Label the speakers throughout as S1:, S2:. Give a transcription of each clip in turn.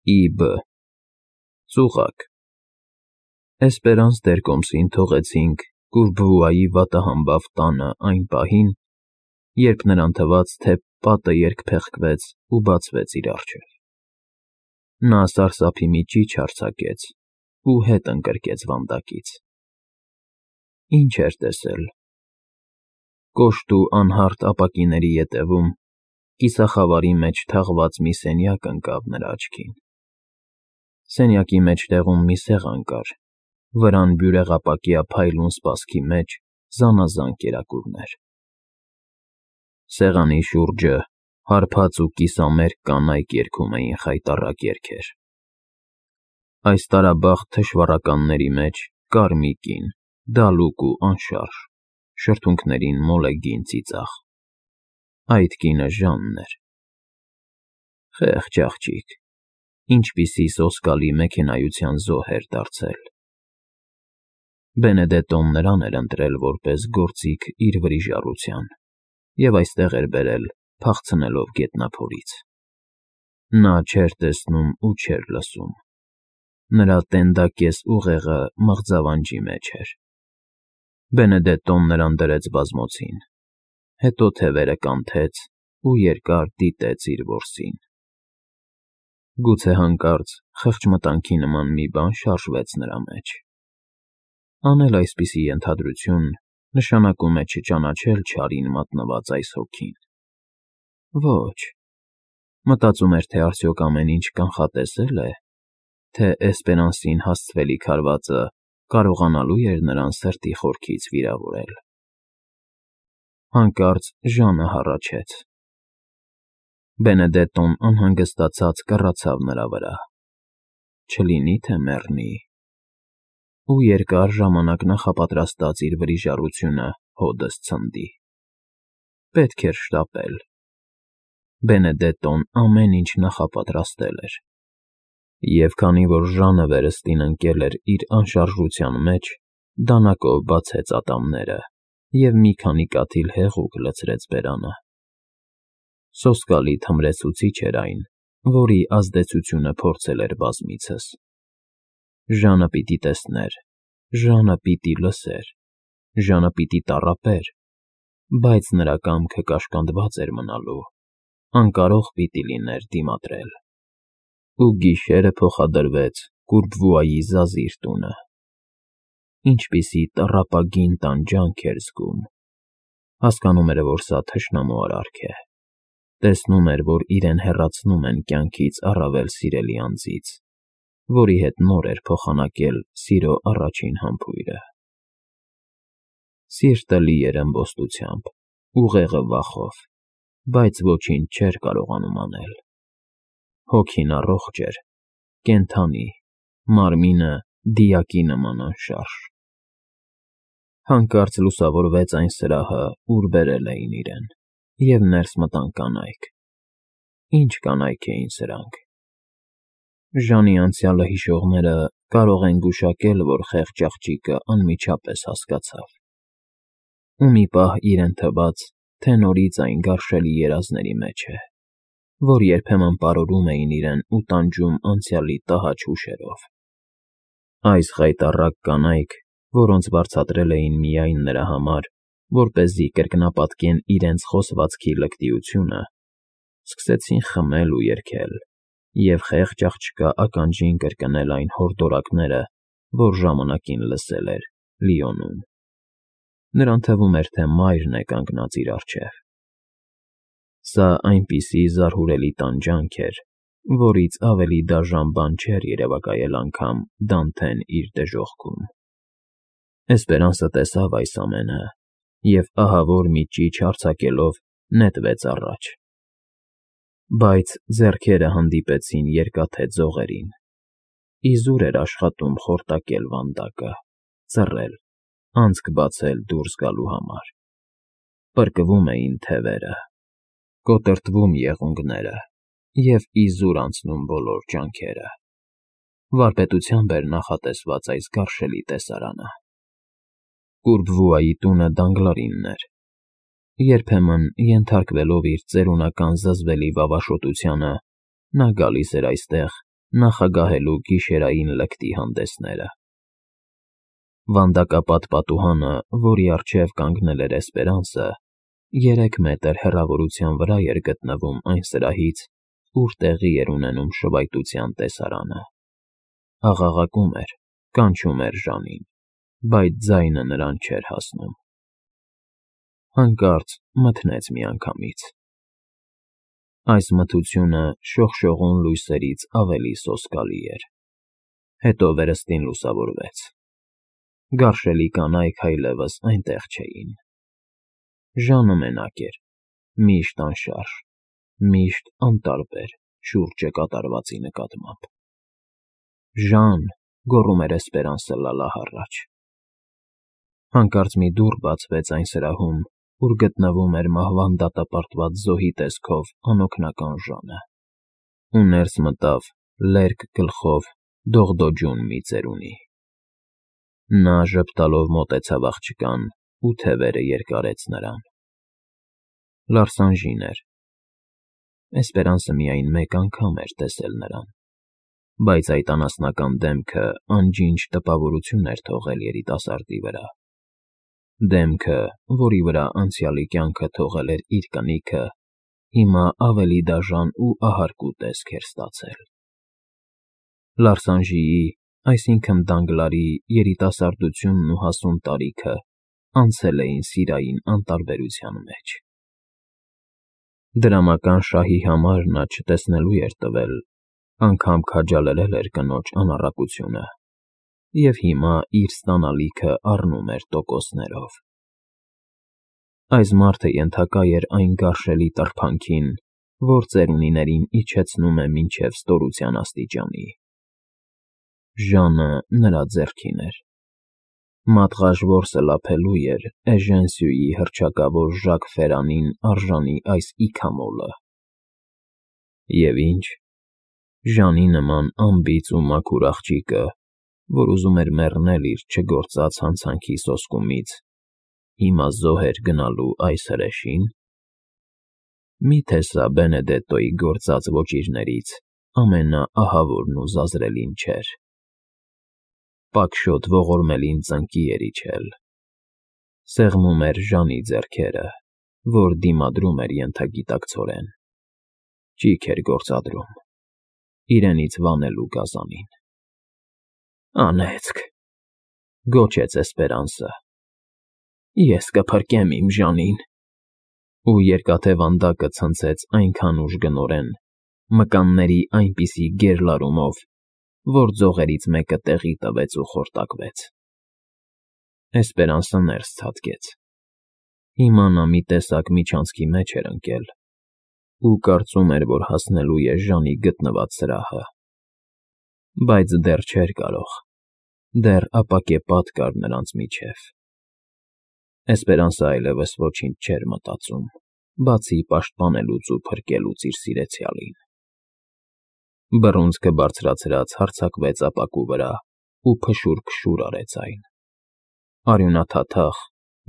S1: Ի.Բ. Ծուղակ Էսպերանս Դերկոմսին թողեցինք Կուրբվուայի վատահամբավ տանը այն պահին, երբ նրան թվաց, թե պատը երկփեղկվեց ու բացվեց իր առջև. նա սարսափի մի ճիչ արձակեց ու հետ ընկրկեց վանդակից. ինչ էր տեսել. կոշտ ու անհարթ ապակիների ետևում կիսախավարի մեջ թաղված մի սենյակ ընկավ նրա աչքին. սենյակի մեջտեղում մի սեղան կար, վրան բյուրեղապակյա փայլուն սպասքի մեջ զանազան կերակուրներ. սեղանի շուրջը հարբած ու կիսամերկ կանայք երգում էին խայտառակ երգեր. այս տարաբախտ թշվառականների մեջ կար մի կին, դալուկ ու անշարժ, շրթունքներին մոլեգին ծիծաղ. այդ կինը Ժանն էր. խեղճ աղջիկ, ինչպիսի սոսկալի մեքենայության զոհ էր դարձել. Բենեդետոն նրան էր ընտրել որպես գործիք իր վրիժառության և այստեղ էր բերել, փախցնելով գետնափորից. նա չէր տեսնում ու չէր լսում. նրա տենդակես ուղեղը մղձավանջի մեջ էր. Բենեդետոն նրան դրեց բազմոցին, հետո թևերը կանթեց ու երկար դիտեց իր որսին. գուցե հանկարծ խղճմտանքի նման մի բան շարժվեց նրա մեջ. անել այսպիսի ենթադրություն նշանակում է չճանաչել չարին մատնված այս հոգին. ոչ, մտածում էր, թե արդյոք ամեն ինչ կանխատեսել է, թե Էսպերանսին հասցվելիք հարվածը կարողանալու էր նրան սրտի խորքից վիրավորել. հանկարծ Ժանը հառաչեց. Բենեդետոն անհանգստացած կռացավ նրա վրա. չլինի թե մեռնի, ու երկար ժամանակ նախապատրաստած իր վրիժառությունը հօդս ցնդի. պետք էր շտապել. Բենեդետոն ամեն ինչ նախապատրաստել էր, և քանի որ Ժանը վերստին ընկել էր իր անշարժության մեջ, դանակով բացեց ատամները և մի քանի կաթիլ հեղուկ լցրեց բերանը. սոսկալի թմրեցուցիչ էր այն, որի ազդեցությունը փորձել էր բազմիցս. Ժանը պիտի տեսներ, Ժանը պիտի լսեր, Ժանը պիտի տառապեր, բայց նրա կամքը կաշկանդված էր մնալու, անկարող պիտի լիներ դիմադրել. ու գիշերը փոխադրվեց Կուրբվուայի զազիր տունը. ինչպիսի տառապագին տանջանք էր զգում. հասկանում էր, որ սա թշնամու արարք է, տեսնում էր, որ իրեն հեռացնում են կյանքից առավել սիրելի անձից, որի հետ նոր էր փոխանակել սիրո առաջին համբույրը. սիրտը լի էր ըմբոստությամբ, ուղեղը վախով, բայց ոչինչ չէր կարողանում անել. հոգին առողջ էր, կենդանի, մարմինը դիակի նման անշարժ. հանկարծ լուսավորվեց այն սրահը, ուր բերել էին իրեն, և ներս մտան կանայք. ինչ կանայք էին սրանք. Ժանի անցյալը հիշողները կարող են գուշակել, որ խեղճ աղջիկը անմիջապես հասկացավ. ու մի պահ իրեն թվաց, թե նորից այն գարշելի երազների մեջ է, որ երբեմն պարուրում էին իրեն ու տանջում անցյալի տհաճ հուշերով. այս խայտառակ կանայք, որոնց վարձատրել էին միայն նրա համար, որպեսզի կրկնապատկեն իրենց խոսվածքի լկտիությունը, սկսեցին խմել ու երգել, և խեղճ աղջկա ականջին կրկնել այն հորդորակները, որ ժամանակին լսել էր Լիոնում. նրան թվում էր, թե մայրն է կանգնած իր առջև. սա այնպիսի զարհուրելի տանջանք էր, որից ավելի դաժան բան չէր երևակայել անգամ Դանթեն իր դժոխքում. Էսպերանսը տեսավ այս ամենը և ահավոր մի ճիչ արձակելով նետվեց առաջ. բայց ձեռքերը հանդիպեցին երկաթե ձողերին. իզուր էր աշխատում խորտակել վանդակը, ծռել, անցք բացել դուրս գալու համար. պրկվում էին թևերը, կոտրտվում եղունգները և իզուր անցնում բոլոր ջանքերը. վարպետությամբ էր նախատեսված այս գարշելի տեսարանը. Կուրբվուայի տունը Դանգլարինն էր. երբեմն, ենթարկվելով իր ծերունական զզվելի վավաշոտությանը, նա գալիս էր այստեղ նախագահելու գիշերային լկտի հանդեսները։ Վանդակապատ պատուհանը, որի առջև կանգնել էր Էսպերանսը, 3 մետր հեռավորության վրա էր գտնվում այն սրահից, ուր տեղի էր ունենում շվայտության տեսարանը։ Աղաղակում էր, կանչում էր Ժանին, բայց ձայնը նրան չէր հասնում։ Հանկարծ մթնեց միանգամից։ Այս մթությունը շողշողուն լույսերից ավելի սոսկալի էր։ Հետո վերստին լուսավորվեց։ Գարշելի կանայք այլևս այնտեղ չէին։ Ժանը մենակ էր, միշտ անշարժ, միշտ անտարբեր շուրջը կատարվածի նկատմամբ։ «Ժան», գոռում էր Էսպերանսը լալահառաչ։ Հանկարծ մի դուռ բացվեց այն սրահում, ուր գտնվում էր մահվան դատապարտված զոհի տեսքով անօգնական Ժանը, ու ներս մտավ լերկ գլխով դողդոջուն մի ծերունի։ Նա ժպտալով մոտեցավ աղջկան ու թևերը երկարեց նրան։ Լարսանժին էր։ Էսպերանսը միայն մեկ անգամ էր տեսել նրան, բայց այդ անասնական դեմքը անջինջ տպավորություն էր թողել երիտասարդի վրա։ Դեմքը, որի վրա անցյալի կյանքը թողել էր իր կնիքը, հիմա ավելի դաժան ու ահարկու տեսք էր ստացել։ Լարսանժիի, այսինքն Դանգլարի երիտասարդությունն ու հասուն տարիքը անցել էին սիրային անտարբերության մեջ։ Դրամական շահի համար նա չտեսնելու էր տվել, անգամ քաջալերել էր կնոջ անառակությունը, և հիմա իր ստանալիքը առնում էր տոկոսներով։ Այս մարդը ենթակա էր այն գարշելի տրբանքին, որ ծերունիներին իջեցնում է մինչև ստորության աստիճանի։ Ժանը նրա ձեռքին էր։ Մատղաշ որսը լափելու էր Էժեն Սյուի հռչակավոր Ժակ Ֆերանին արժանի այս իքամոլը։ Եվ ինչ, Ժանի նման անբիծ ու մաքուր աղջիկը, որ ուզում էր մեռնել իր չգործած հանցանքի սոսկումից, հիմա զոհ էր գնալու այս հրեշին։ Մի՞թե սա Բենեդետտոյի գործած ոճիրներից ամենաահավորն ու զազրելին չէր։ Պակշոտ ողորմելին ծնկի էր իջել։ Սեղմում էր Ժանի ձեռքերը, որ դիմադրում էր ենթագիտակցորեն։ Ճիգ էր գործադրում, իրենից վանելու գազանին։ «Անեծք», գոչեց Էսպերանսը, «ես կփրկեմ իմ Ժանին», ու երկաթե վանդակը ցնցեց այնքան ուժգնորեն, մկանների այնպիսի գերլարումով, որ ձողերից մեկը տեղի տվեց ու խորտակվեց։ Էսպերանսը ներս ցատկեց։ Հիմա նա մի տեսակ միջանցքի մեջ էր ընկել ու կարծում էր, որ հասնելու է Ժանի գտնված սրահը։ Բայց դեռ չէր կարող, դեռ ապակե պատ կար նրանց միջև։ Էսպերանսը այլևս ոչինչ չէր մտածում, բացի պաշտպանելուց ու փրկելուց իր սիրեցյալին։ Բռունցքը բարձրացրած հարձակվեց ապակու վրա ու փշուր արեց այն։ Արյունաթաթախ,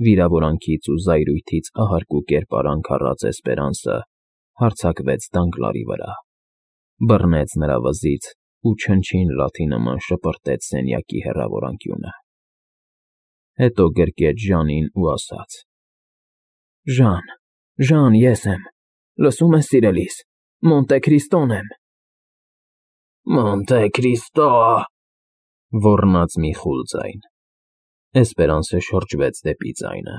S1: վիրավորանքից ու զայրույթից ահարկու կերպարանք առած Էսպերանսը հարձակվեց Դանգլարի վրա, բռնեց նրա վզից ու չնչին լաթի նման շպրտեց սենյակի հեռավոր անկյունը։ Հետո գրկեց Ժանին ու ասաց. «Ժան, ես եմ, լսում ես, սիրելիս, Մոնտե Քրիստոն եմ»։ «Մոնտե Քրիստո», ոռնաց մի խուլ ձայն։ Էսպերանսը շրջվեց դեպի ձայնը։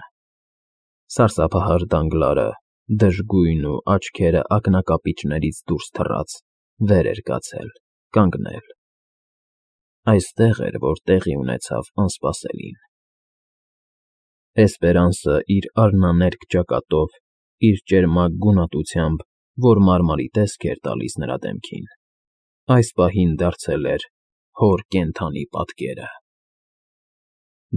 S1: Սարսափահար Դանգլարը, դժգույն ու աչքերը ակնակապիճներից դուրս թռած, վեր էր կացել, կանգնել։ Այստեղ էր, որ տեղի ունեցավ անսպասելին։ Էսպերանսը իր արհնաներկ ճակատով, իր ճերմակ գունատությամբ, որ մարմարի տեսք էր տալիս նրա դեմքին, այս պահին դարձել էր հոր կենդանի պատկերը։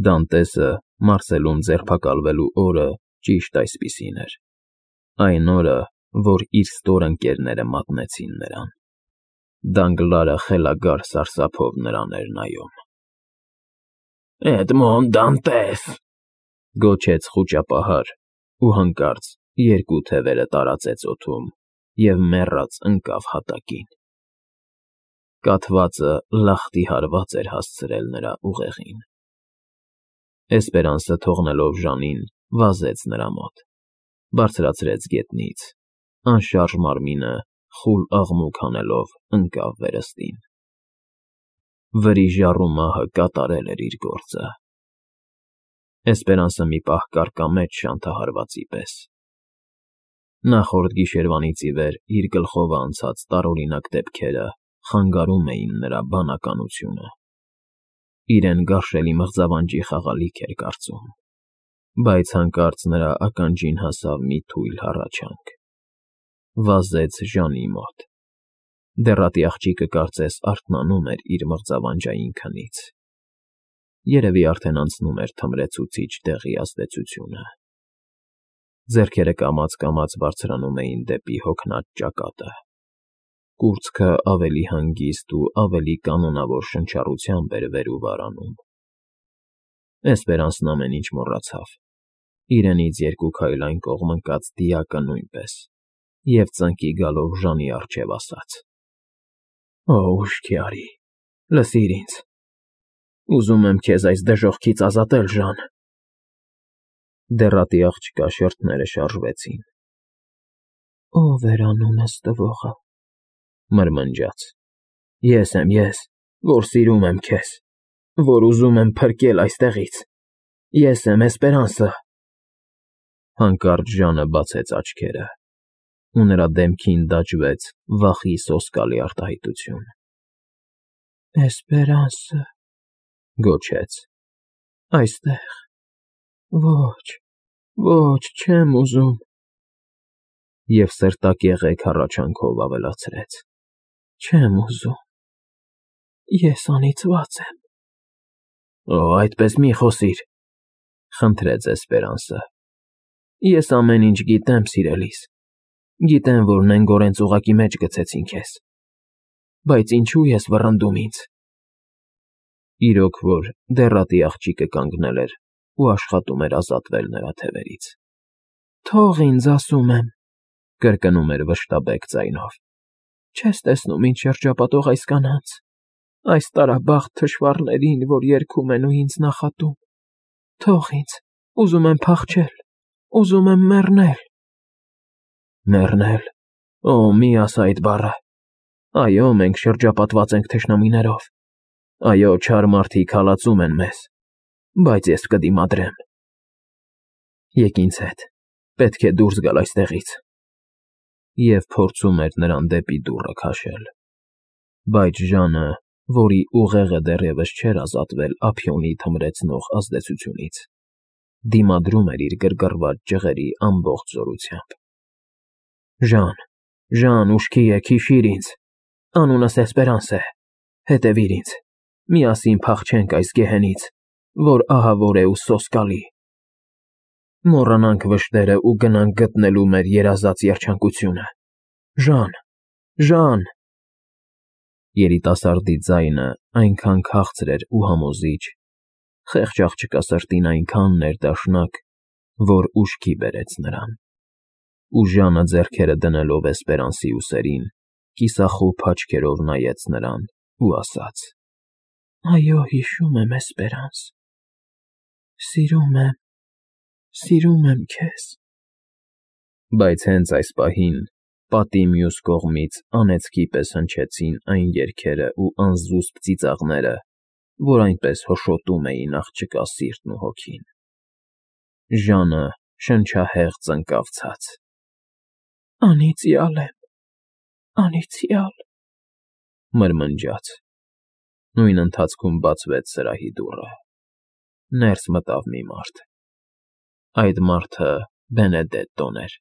S1: Դանտեսը Մարսելում ձերբակալվելու օրը ճիշտ այսպիսին էր, այն օրը, որ իր ստոր ընկերները մատնեցին նրան։ Դանգլարը խելագար սարսափով նրան էր նայում։ «Էդմոն Դանտես», գոչեց խուճապահար ու հանկարծ երկու թևերը տարածեց օդում և մեռած ընկավ հատակին։ կաթվածը լախտի հարված էր հասցրել նրա ուղեղին։ Էսպերանսը թողնելով Ժանին, վազեց նրա մոտ, բարձրացրեց գետնից, անշարժ մարմինը խուլ աղմուկ հանելով ընկավ վերստին։ Վրի ժառու մահը կատարել էր իր գործը։ Էսպերանսը մի պահ կարկամեց շանթահարվածի պես։ Նախորդ գիշերվանից ի վեր իր գլխով անցած տարօրինակ դեպքերը խանգարում էին նրա բանականությունը։ Իրեն գարշելի մղձավանջի խաղալիք էր կարծում, բայց հանկարծ նրա ականջին հասավ մի թույլ հառաչանք։ Վազեց Ժանի մոտ։ Դեռատի աղջիկը կարծես արթնանում էր իր մղձավանջային քնից։ Երևի արդեն անցնում էր թմրեցուցիչ դեղի ազդեցությունը։ Ձեռքերը կամաց-կամաց բարձրանում էին դեպի հոգնած ճակատը։ Կուրծքը ավելի հանգիստ ու ավելի կանոնավոր շնչառությամբ էր վեր ու վար անում։ Էսպերանսն ամեն ինչ մոռացավ, իրենից երկու քայլ այն կողմ ընկած դիակը նույնպես, և ծնկի գալով Ժանի առջև ասաց. «Օ, ուշքի արի, լսիր ինձ, ուզում եմ քեզ այս դժոխքից ազատել, Ժան»։ Դեռատի աղջկա շրթները շարժվեցին։ «Ո՞վ էր անունս տվողը», մրմնջաց։ «Ես եմ, որ սիրում եմ քեզ, որ ուզում եմ փրկել այստեղից։ Ես եմ Էսպերանսը»։ Հանկարծ Ժանը բացեց աչքերը, ու նրա դեմքին դաջվեց վախի սոսկալի արտահայտություն։ «Էսպերանսը», գոչեց, «այստեղ, ոչ, չեմ ուզում», և սրտակեղեք հառաչանքով ավելացրեց. «Չեմ ուզում, ես անիծված եմ»։ «Օ, այդպես մի խոսիր», խնդրեց Էսպերանսը։ «Ես ամեն ինչ գիտեմ, սիրելիս, գիտեմ, որ նենգորեն ծուղակի մեջ գցեցին քեզ, բայց ինչո՞ւ ես վռնդում ինձ»։ Իրոք որ դեռատի աղջիկը կանգնել էր ու աշխատում էր ազատվել նրա թևերից։ «Թող ինձ, ասում եմ», կրկնում էր վշտաբեկ ձայնով։ «Չես տեսնում ինչ շրջապատող այս կանանց, այս տարաբախտ թշվառներին, որ երգում են ու ինձ նախատում։ Թող ինձ, ուզում եմ փախչել, ուզում եմ մեռնել»։ «Մեռնել, օ, մի ասա այդ բառը։ Այո, մենք շրջապատված ենք թշնամիներով, այո, չար մարդիկ հալածում են մեզ, բայց ես կդիմադրեմ։ Եկ ինձ հետ, պետք է դուրս գալ այստեղից»։ Եվ փորձում էր նրան դեպի դուռը քաշել, բայց Ժանը, որի ուղեղը դեռևս չէր ազատվել ափիոնի թմրեցնող ազդեցությունից, դիմադրում էր իր գրգռված ջղերի ամբողջ զորությամբ։ «Ժան, ուշքի եկ, հիշիր ինձ, անունս Էսպերանս է, հետևիր ինձ, միասին փախչենք այս գեհենից, որ ահավոր է ու սոսկալի։ Մոռանանք վշտերը ու գնանք գտնելու մեր երազած երջանկությունը։ Ժան»։ Երիտասարդի ձայնը այնքան քաղցր էր ու համոզիչ, խեղճ աղջկա սրտին այնքան ներդաշնակ, որ ուշքի բերեց նրան։ Ու Ժանը ձեռքերը դնելով Էսպերանսի ուսերին, կիսախուբ աչքերով նայեց նրան ու ասաց. «Այո, հիշում եմ, Էսպերանս, սիրում եմ քեզ»։ Բայց հենց այս պահին պատի մյուս կողմից անեծքի պես հնչեցին այն երգերը ու անզուսպ ծիծաղները, որ այնպես հոշոտում էին աղջկա սիրտն ու հոգին։ Ժանը շնչահեղձ ընկավ ցած։ «Անիծյալ եմ, անիծյալ», մրմնջաց։ Նույն ընթացքում բացվեց սրահի դուռը։ Ներս մտավ մի մարդ։ Այդ մարդը Բենեդետտոն էր։